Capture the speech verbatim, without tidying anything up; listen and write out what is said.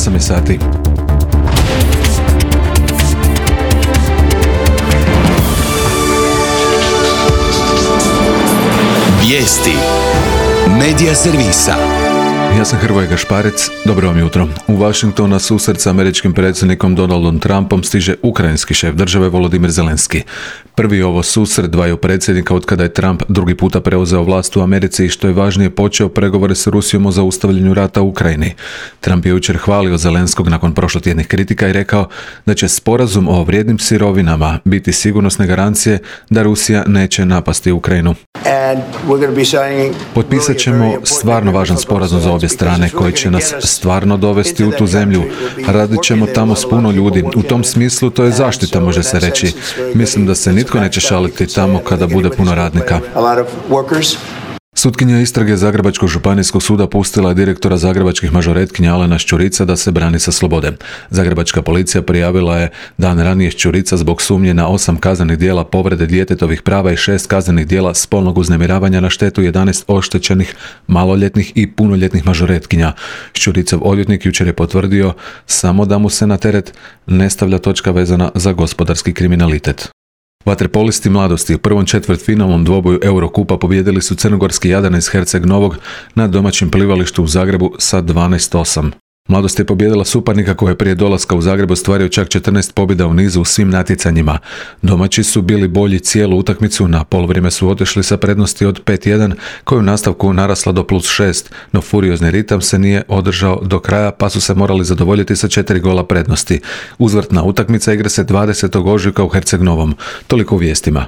osam je sati. Vijesti Medija servisa. Ja sam Hrvoje Gašparec, dobro vam jutro. U Washington na susret s američkim predsjednikom Donaldom Trumpom stiže ukrajinski šef države Volodimir Zelenski. Prvi ovo susret dvaju predsjednika od kada je Trump drugi puta preuzeo vlast u Americi i što je važnije počeo pregovore s Rusijom o zaustavljanju rata u Ukrajini. Trump je jučer hvalio Zelenskog nakon prošlotjednih kritika i rekao da će sporazum o vrijednim sirovinama biti sigurnosne garancije da Rusija neće napasti Ukrajinu. Potpisat ćemo stvarno važan sporazum za obje strane koji će nas stvarno dovesti u tu zemlju. Radit ćemo tamo s puno ljudi. U tom smislu to je zaštita, može se reći. Mislim da se nitko neće šaliti tamo kada bude puno radnika. Sutkinja istrage Zagrebačkog županijskog suda pustila je direktora zagrebačkih mažoretkinja Alena Šćurica da se brani sa slobode. Zagrebačka policija prijavila je dan ranije Šćurica zbog sumnje na osam kaznenih djela povrede djetetovih prava i šest kaznenih djela spolnog uznemiravanja na štetu jedanaest oštećenih maloljetnih i punoljetnih mažoretkinja. Šćuricov odvjetnik jučer je potvrdio samo da mu se na teret ne stavlja točka vezana za gospodarski kriminalitet. Vaterpolisti mladosti u prvom četvrtfinalnom dvoboju Eurokupa pobijedili su crnogorski Jadran iz Herceg Novog na domaćem plivalištu u Zagrebu sa dvanaest osam. Mladost je pobijedila suparnika koji je prije dolaska u Zagreb ostvario čak četrnaest pobjeda u nizu u svim natjecanjima. Domaći su bili bolji cijelu utakmicu, na poluvrijeme su otišli sa prednosti od pet jedan, koju u nastavku narasla do plus šest, no furiozni ritam se nije održao do kraja pa su se morali zadovoljiti sa četiri gola prednosti. Uzvrtna utakmica igra se dvadesetog ožujka u Herceg Novom. Toliko u vijestima.